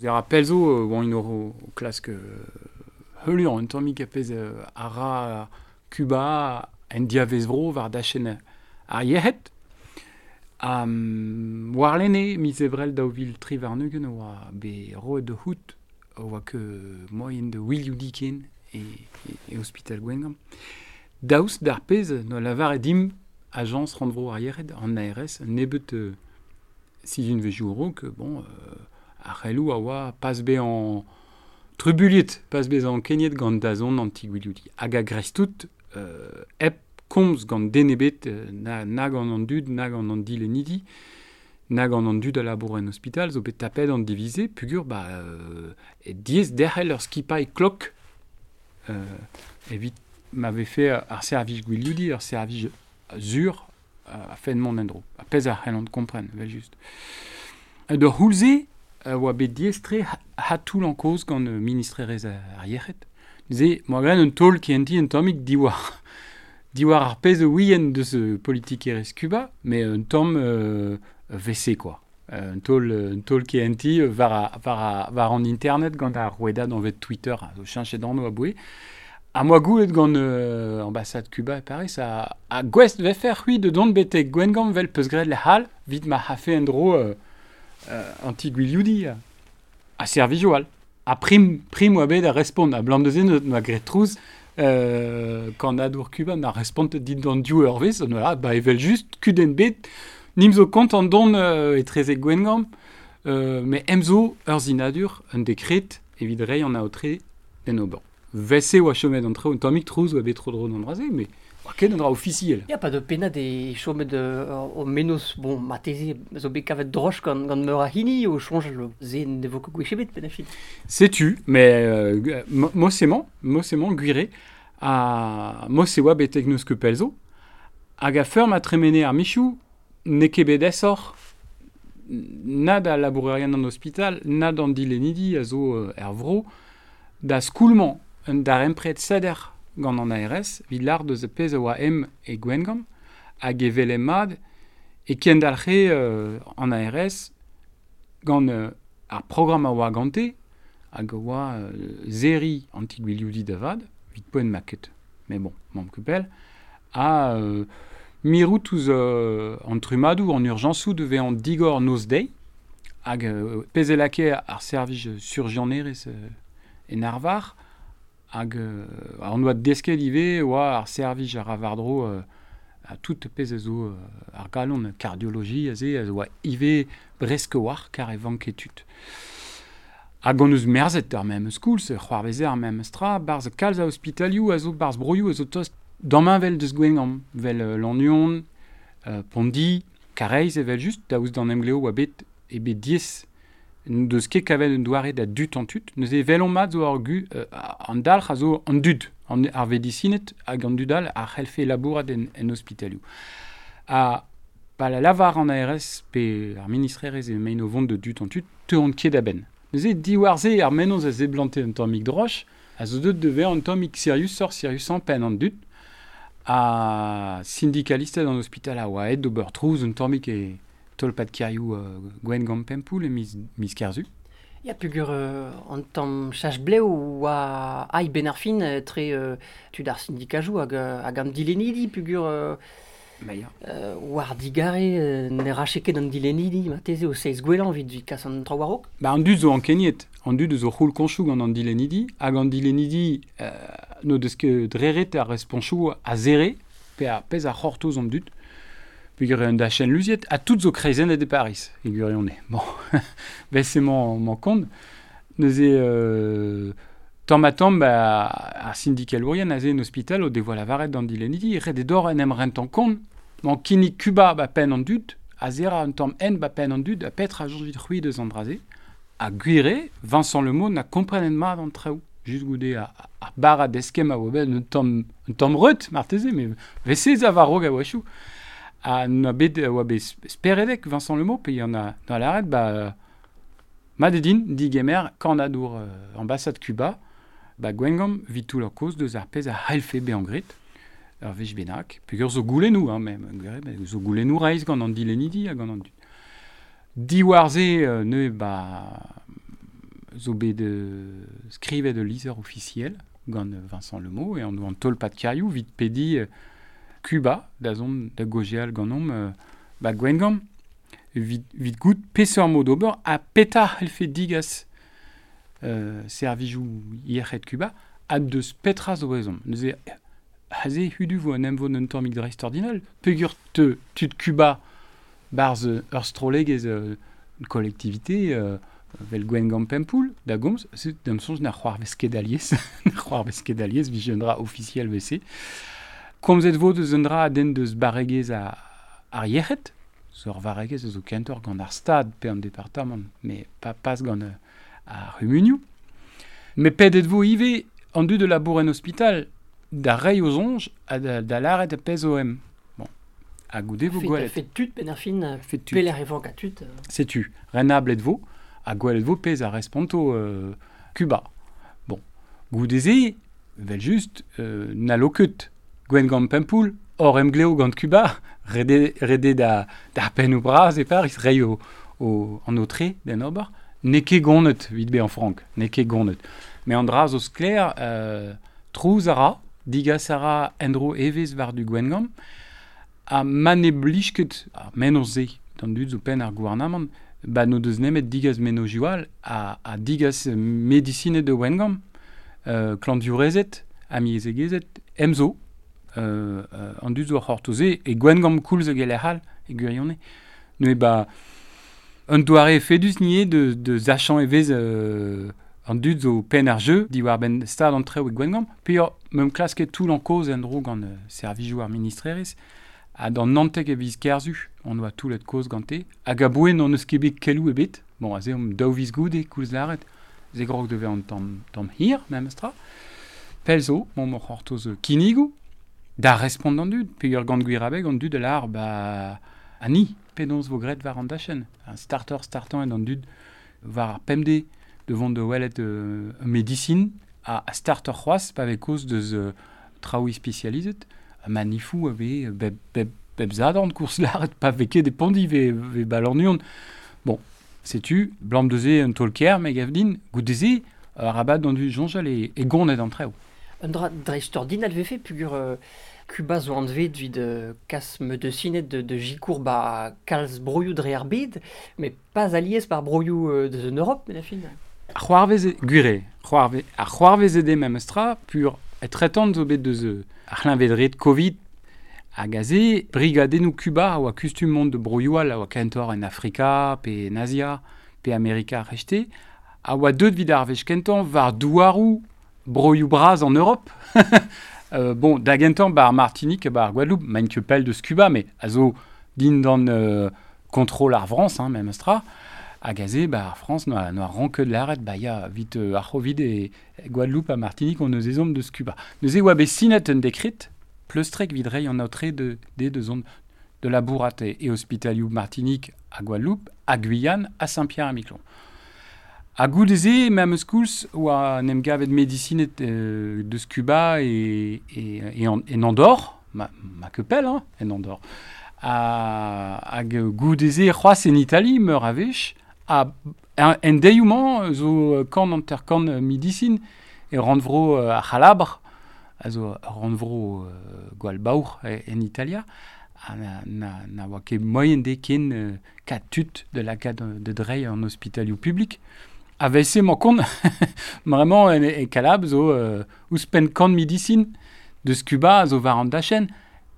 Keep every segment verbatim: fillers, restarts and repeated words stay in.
Zer a pell zo oan o, o klask heuliañ un tammig a pezh a ra Cuba en diavezvro war dachenn ar yec'hed. Um, warlene, miz ebrel daou vil tri warn-ugent oa bet roet da c'hoût oa ket moaien da wilioudi ken e, e, e ospital Gwengamp. Daoust d'ar pezh no lavaret dimp ajañs rannvro ar yec'hed an A R S nebeut euh, sizhunvezhioù a-raok, bon, euh, ar c'heloù a oa pas bezañ trubuliet, pas bezañ ankeniet gant dazont an ti-gwilioudi. Hag a greiz tout, euh, hep komz gant den ebet, na, na gant an dud, na gant an dilennidi, na gant an dud a labour en ospital, zo bet tapet an divize, pugur, ba, euh, e diez derc'hel ur skipailh klok, euh, evit m'avait fait ar servij gwilioudi, ar servij zur, a fen mont en-dro. A pezh a c'hellont kompren, vel just. De c'houlze, oa bet diestre ha toull an koz gant ministrerez ar yec'hed. Neuze, moa gren un taol kehentiñ un tammig diwar. Diwar ar pezh ouien deus politikerezh Cuba, mais un tamm euh, V C, quoi. Un taol, un taol kehentiñ war, a, war, a, war an internet gant ar rouedad anvet Twitter, a zo cheñchet anv aboe. Ha moa goulet gant euh, ambassade Cuba e Paris, a, a gouest vefe c'hwi de dont betek Gwengamp vel peus graet lec'hall, vit ma c'hafe en-dro euh, euh, anti-gwilioudi a, a servijo all. A prim, prim oa bet a respont, a blam deus en oa graet trouz, euh, kannadour Cuba n'a respont dit d'an div eurvezh, voilà, ba evel just, kudenn bet, nim zo kont an don euh, etrezek Gwengamp, euh, mais em zo ur zinadur, un dekret, evit reiñ an aotre d'en ober. Vese oa chomet an treo, un tammig trouz oa bet tro dro d'an draze, mais oa ket un dra ofisiel. Ya, pa de pennad e chomet euh, o menoz, bon, mateze, zo bet kavet droch gant, gant meur a hini, o soñjal ze ne vo ket gwech ebet, penn ar fin. Setu, mais euh, mosemañ, mosemañ gwire, a mos e oa betek neus ket pell zo, hag a feur ma tremene ar michou, n'eo ket bet aesoc'h na da labourerien an ospital, na d'an dilennidi a zo euh, er vro, da skoulmañ un darempred seder gant an A R S, evit lâr deus pezh a oa em e Gwengamp, hag evel mat e kendalc'he euh, an A R S gant euh, ar programm a oa gante, hag a oa euh, zeri anti-gwilioudi da vat, evit poent ma ket, mais bon, mamm ket pell, a euh, mirout ouzh euh, an trummadoù, an urjañsoù de vezañ digor noz-deiz, hag euh, pezh e lakae ar servij surjianerezh euh, en arvar, hag euh, an oa desket ivez oa ar servij ar war-dro euh, a tout pezh a zo euh, ar galon kardiologi a ze a zo oa ivez bresk war kar e vanke tud. Hag on eus merzet ar memes koulz, c'hoarveze ar memes tra, barz kalz a ospitalioù a zo barz broioù a zo tost damheñvel deus Gwengamp, vel euh, Lannuon, euh, Pondi, Kareiz evel just, daoust d'an emgleo oa bet e bet diez deus ket kavet un doare da dut an tud. Neuze vel on mat zo ar gu, euh, an dalc'h a zo an dud, an, ar vedisinet hag an dud all a c'hellfe labourat en, en ospitalioù. Ha pa la lavar an A R S pe ar ministrerezh e mein o vont de dut an tud, teuont ket a-benn. Neuze diwar-se ar mennozh a zeblante un tammig droch, a zo deut de vezañ un tammig siriusoc'h, siriusañ penn an dud, ha syndikalisted an ospital a oa aet d'ober trouz un tammig e tolpad kêrioù euh, Gwengamp Pempoul e miz, miz Kerzu. Ya, pugur euh, an tamm chach blev oa ai ben ar fin tre euh, tud ar syndikajou hag, hag an dilennidi pugur euh, Ba ya. euh, war digare euh, ne rache ket an dilennidi marteze o seiz gwellañ evit vit kas an traoù war-raok. Ba an dud zo ankeniet, an dud zo c'houl koñchoù gant an dilennidi, hag an dilennidi euh, n'o deus ket dreret ar responchoù a zere, pe a pezh a c'hortoz an dud. Peogwir un dachenn luziet, ha tout zo kreizennet e Paris, e gwirionez. Bon, ben c'est mon, mon kont. Neuze, euh, tamm ha tamm, ba, ar syndikalourien aze en ospital o devoa lavaret d'an dilennidi, ret e dor en em rentan kont, man kinnig Cuba ba penn an dud, a zera un tamm en ba penn an dud, a petra a soñj c'hwi deus an dra-se, ha gwire, Vincent Le Moine na komprenet mat an traoù. Just goude a, a bara deskem a oa bet un tamm, un tamm reut, marteze, mais vese a war-raok a oa chou. A na bet oa bet speredek Vincent Le Meaux, pe y en a dans l'arrêt, ba, Madedin, digemer, kannadour euh, ambassade Cuba, ba Gwengamp, vit tout leur cause deus ar pezh a c'hellfe bezañ graet, ur wech bennak, peogwir zo goulennoù, hein, même, gwir, ba, zo goulennoù reizh gant an dilennidi hag gant an dud. Diwar-se, euh, neuze, ba, zo bet euh, skrivet ul lizher ofisiel gant Vincent Lemot e an an tolpad kêrioù evit pediñ euh, Cuba da zont da gaozeal ganeomp euh, ba Gwengamp evit, evit goût peseurt mod ober ha petra c'hellfe digas euh, servijoù yec'hed Cuba ha deus petra zo ezhomm. Neuze aze hudu vo an emvod un tammig dreistordinal peogwir te tud Cuba barzh ur strollegezh euh, une collectivité euh, vel Gwengamp Pempoull da gomz, se da'm soñj na c'hoarvez ket alies, na c'hoarvez ket alies vije un dra ofisiel V C. Komzet vo deus un dra a denn deus barregezh a, ar yec'hed, zo ur varregezh zo kentoc'h gant ar stad pe an departamant, mais pa pas gant euh, ar c'humunioù. Met pedet vo ivez an dud de labour en ospital da reiñ o soñj ha da, da lâret a pezh o em. Bon. Ha goude vo Fet, gwelet. fet tud ben ar fin, Fet tud. pelec'h e vank a tud. Setu, renablet vo, ha gwelet vo pezh a responto euh, Cuba. Bon, goude-se, vel just, euh, n'hallo ket Gwengamp Pempoull, hor emglev gant Cuba, rede, rede da, da pennoù bras e Paris, reiñ o, o, an aotre d'en ober, n'eo ket gonet evit bezañ frank, n'eo ket gonet. Met an dra zo sklaer, euh, trouz a ra, digas a ra en-dro evezh war du Gwengamp, ha ma ne blij ket ar mennozh-se d'an dud zo penn ar gouarnamant, ba n'o deus nemet digas mennozhioù all ha, ha digas medisined de Wengamp, euh, klañvdiourezed, amezegezed, emzo, euh, euh, an dud zo ar c'hortoz-se, e Gwengamp koulz hag e lec'h all, e gwirionez. Neuze ba, un doare efedus nie de, de sachañ evezh euh, an dud zo penn ar jeu diwar-benn stad an traoù e Gwengamp, pe ur meump klasket toull an kaoz en-dro gant euh, servijoù ar ministrerezh, ha d'an naontek e viz Kerzu, on oa toullet kaoz gante, hag aboe n'hon eus ket bet keloù ebet, bon, aze omp daou viz goude koulz lâret, ze grog devez an tamm, tamm hir, memestra. Pell zo, mont mor c'hortoz kinnigoù, da respont d'an dud, peogwir gant gwir abeg an dud a lâr, ba, ha ni, penaos vo graet war an dachenn. Un starter startañ eo d'an dud war ar pemdez de vont de welet euh, medicine a, a starter c'hoazh pa vez kaoz deus euh, traoù ispisializet, manifou a vez bep, bep, bep zadorn koulz lâret pa vez ket e Pondi ve, ve ba Lannuon. Bon, setu, blam deus un taol-kaer me gav din, goude-se, arabat d'an dud soñjal e, e gonet an traoù. Un dra dreistordinal vefe peogwir euh, Cuba zo anvet evit euh, kas medisined de, de sikour ba kalz broioù dre ar bed, met pas alies par broioù euh, deus an Europe, met a fin. Ar c'hoarvez e, gwir eo, c'hoarvez, ar c'hoarvez eo memestra pur etretant zo bet deus euh, ar c'hleñved-red Covid hag aze brigadennoù Cuba a oa kustum mont de broioù all a oa kentoc'h en Afrika pe en Azia pe Amerika ar c'hreisteiz a oa deut evit ar wech kentañ war douaroù broioù bras en Europe. euh, bon, da gentañ ba ar Martinique ba ar Guadeloupe, maint ket pell deus Cuba, mais a zo dindan euh, kontrol ar Frañs, hein, memestra. Hag aze, ba ar Frañs noa, noa ranket lâret, ba ya, evit euh, ar C'hovid e, e Guadeloupe ha Martinique on eus ezhomm deus Cuba. Neuze oa bet sinet un dekred, pleustrek evit reiñ an aotre de, de, de zont de labourat e, e ospitalioù Martinique ha Guadeloupe, ha Guyane, ha Saint-Pierre-et-Miquelon. Ha goude-se, memes koulz, oa en em gavet medisined euh, deus Cuba e, e, e en, en Andorre, ma, ma ket pell, hein, en Andorre. Ha, hag goude-se c'hoazh en Italie, meur a wech, ha en, en deioù-mañ zo kant hanter-kant medisin e rannvro euh, ar C'halabr, a zo rannvro euh, gwall baour e, en Italia, ha na, na, na oa ket moaien dezhe ken euh, kat tud de lakaat de dreiñ an ospitalioù publik. A-se emañ kont, vraiment en, e Kalab zo euh, ouzhpenn kant medisin deus Cuba a zo war an dachenn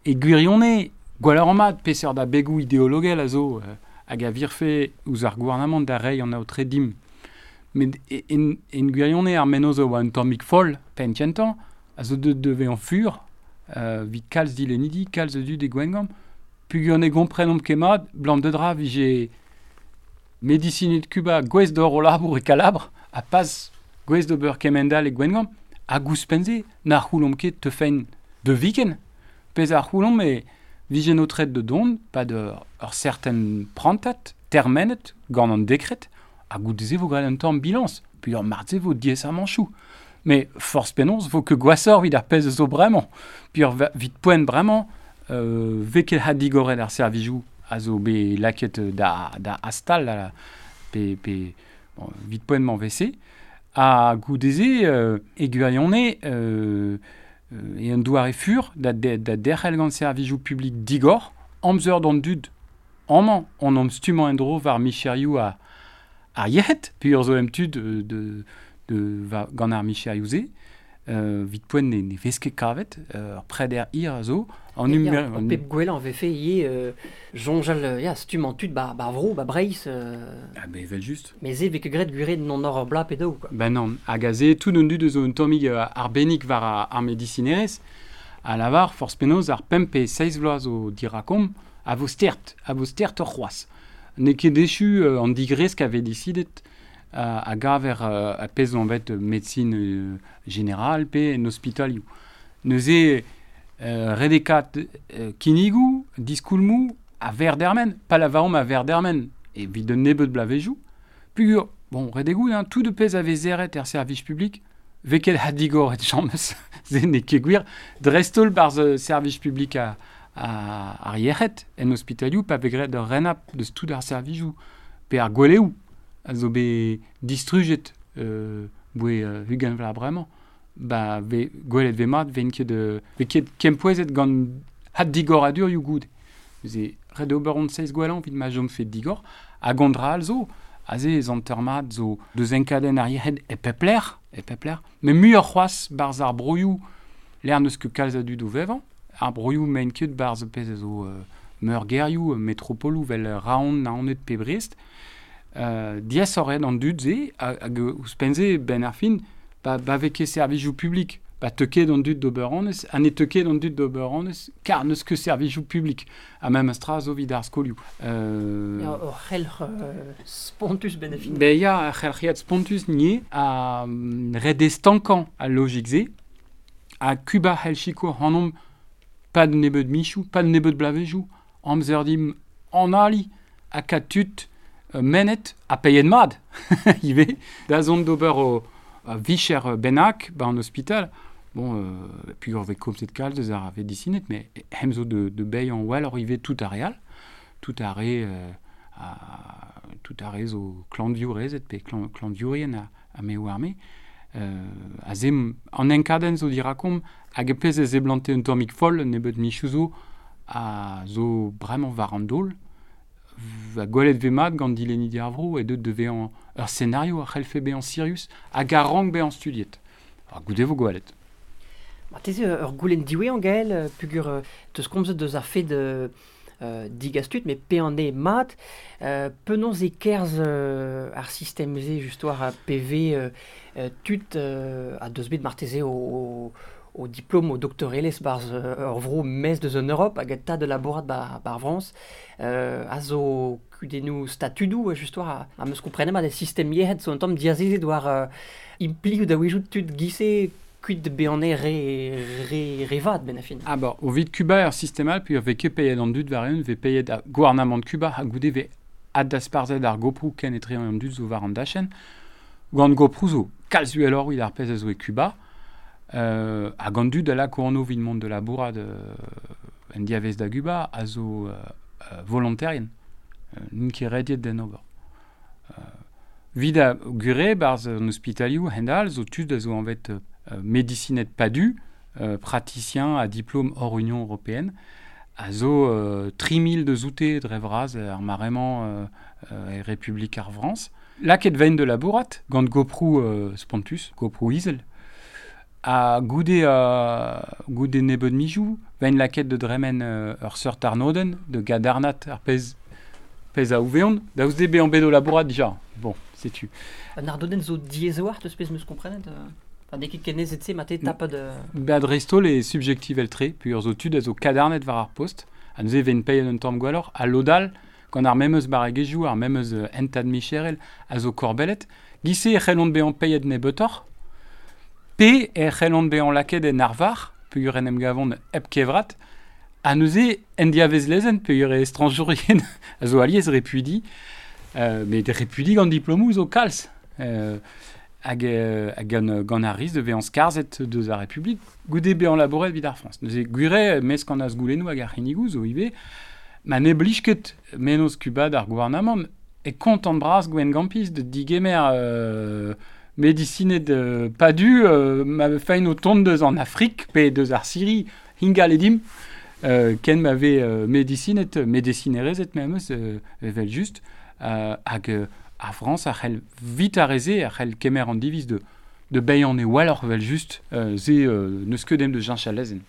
e gwirionez gwalleur mat peseurt abegoù ideologel a zo euh, hag a virfe ouzh ar gouarnamant da reiñ an aotre dimp. Met en, en gwirionez ar mennozh a oa un tammig foll penn kentañ, a zo deut da vezañ fur, euh, evit kalz dilennidi, kalz a dud e Gwengamp, peogwir ne gomprenomp ket mat, blam de dra vije medisined Cuba gouest d'ober o labour e Kalabr, ha pas gouest d'ober kemend-all e Gwengamp, hag ouzhpenn-se, na c'houlomp ket teufent de viken. Pezh a c'houlomp e vije aotreet de dont, pa de ur certain prantad, termenet, gant an dekred, ha goude-se vo graet un tamm bilañs, puis ur marteze vo diaesamanchoù. Mais forzh penaos vo ket gwashoc'h evit ar pezh zo bremañ. Puis ur evit poent bremañ, euh, vez ket ha digoret ar servijoù a zo bet lakaet da, da astal, da, pe, pe Bon, vit poent mañ vese, ha goudeze euh, e gwirionez euh, euh, e un doare fur da, de, da derc'hel gant servijoù publik digor, amzer d'an dud amañ on am stummañ en-dro war micherioù a, ar yec'hed, peogwir zo em tud de, de, de, va, gant ar micherioù-se, euh, vit poent ne, ne vez ket kavet, euh, ur preder hir a zo. An Ya, numer- Ar pep gwellañ vefe ivez euh, soñjal euh, ya, stummañ tud ba, ba vro, ba Breizh, euh, Ah ben evel just. mais se vez ket graet gwirion non ur bla pe daou, quoi. Ben non, hag aze tout an dud zo un tammig euh, arbennik war ar, ar medisinerezh, a lavar forzh penaos ar pemp pe seizh vloaz zo dirakomp, a vo stert, a vo stert ur c'hoazh. N'eo ket echu euh, an digresk a vez disidet a, a gaver euh, a pezh zo anvet médecine euh, générale pe en ospitalioù. Neuze euh, redekat euh, kinnigoù, diskoulmoù, a verdermen, pa lavaomp a verdermen, evit un nebeud blavezioù, pugur, bon, redegout, hein, tout de pezh a vez zeret er servij publik, vez ket ha digor et james, ze n'eo ket gwir, dreist-holl barzh euh, servij publik a, a, ar yec'hed en ospitalioù, pa vez graet ur renab deus tout ar servijoù, pe ar gweleoù, a zo bet distrujet euh, boe euh, ugent vloaz bremañ, ba ve gwelet vez mat, ven ket, euh, vez ket kempouezet gant had digoradurioù goude. Neuze, ret ober hon seizh gwellañ evit ma chomfe digor, hag an dra all zo, aze ez hanter mat zo deus enkadenn ar yec'hed e pep lec'h, e pep lec'h, met muioc'h c'hoazh barzh ar broioù lec'h n'eus ket kalz a dud o vevañ, ar broioù maint ket barzh pezh a zo euh, meurgêrioù, metropoloù vel Raon, Naoned pe Brest, euh, diaesoc'h eo an dud-se, hag, hag ouzhpenn-se ben ar fin, ba, ba vez ket servijoù publik, ba teu ket an dud d'ober annez, ha ne teu ket an dud d'ober annez, kar n'eus ket servijoù publik, ha memes tra zo evit ar skolioù. Euh, Ya, ur c'helc'h euh, spontus ben ar fin. Ben ya, ar c'helc'hiad spontus nie, a mm, ret eo stankañ al logik-se, ha Kuba c'hell sikour ac'hanomp pad nebeud michoù, pad nebeud blavezioù, amzer dimp an ali, ha kat tud euh, mennet ha paeet mat, ivez, da zont d'ober o a vicher bennak ba an ospital. Bon, euh, puis ur vez komzet kalz deus ar vedisinet, mais hem zo de, de beilh an well ur ivez tout ar real, tout ar re, euh, a, tout ar re zo klanviourezed pe klan, klanviourien a, a me oar me. Euh, a ze an enkadenn zo dirakomp hag e pezh e zeblante un tammig foll nebeud michoù zo a zo bremañ war an daol, va gwelet vez mat gant dilennidi ar vro e deut de vezañ ur scenario a c'hellfe bezañ sirius hag a rank bezañ studiet. Ha goude vo gwelet. Marteze ur goulenn diwezhañ Gaël, euh, pugur euh, teus komzet deus ar fed euh, euh, digastut, mais pe an eo mat, euh, penaos e kerzh euh, ar sistem-se just war a P V euh, euh, tud euh, a deus bet marteze o, o, o diplôme o doktorelezh barzh, euh, ur vro mez deus an Europe hag a ta de labourat ba, bar Frañs, euh, a zo kudennoù statudoù, just war a, a meus komprenet mat e sistem yec'hed zo un tamm diazezet war, euh, implioù da wejoù tud gise kuit de bezañ re, re, re vat ben a fin. Ah bon, o vit Kuba ur sistem all, puis ur vez ket paeet an dud war eeun, vez paeet ar gouarnamant Kuba ha goude vez addasparzhet ar goprou ken etre an dud zo war an dachenn. Gant goprou zo kalz uheloc'h evit ar pezh a zo e Kuba. Euh, hag an dud a lako anv evit mont de labourat, euh, en diavez da Guba a zo, euh, euh, volontarien. Euh, n'int ket rediet d'en ober. Euh, vid a gure barzh an ospitalioù hend-all zo tud a zo anvet, euh, médicinet padu, euh, praticien à diplôme hors Union européenne, a zo, euh, tri mil de zoute dre vras ar maremañ, euh, euh, e Republik ar Frañs. Laket vein de labourat, gant goprou, euh, spontus, goprou izel. A goude, euh, goude nebeud mijou, vein laket de dremen, euh, ur seurt arnodenn, de gadarnat ar pezh, pezh a ouveont, daoust de bezañ bet o labourat dija. Bon, setu. An arnodenn zo diaes teus pezh meus komprenet, euh, Enfin, n'eo ket ken aezet-se, ma te tapet, euh, Ba dreist-holl e subjektivel tre, puis ur zo tud a zo kadarnet war ar post, ha neuze ven paeet un tamm gwelloc'h, ha lodal, gant ar memes barregezhioù, ar memes, euh, hentad micherel, a zo korbellet, gise e c'hellont bezañ paeet nebeutoc'h, pe e c'hellont bezañ lakaet en arvar, peogwir en em gavont hep kevrat, ha neuze en diavez lezenn, peogwir e estrañjourien a zo alies repuidi, euh, met repuidi gant diplomoù zo kalz. Euh, hag, euh, hag gant, gant ar riz de vezañ skarzhet deus ar Republik, goude bezañ labouret evit ar Frañs. Neuze gwir mesk an azgoulennoù hag ar c'hinnigoù zo ivez, ma ne blij ket mennozh Kuba d'ar gouarnamant, e kontant bras Gwen Gampis de digemer euh, medisined euh, padu euh, ma fein o tont deus an Afrik pe deus ar Syrie hingal edim euh, ken m'ave euh, medisinet medisinerezet memes euh, evel just euh, hag euh, a Frans a c'hell vit a reze a c'hell kemer an diviz de de beian e waloc'h vel just euh, ze euh, neus ket dem de Jean Chalezen.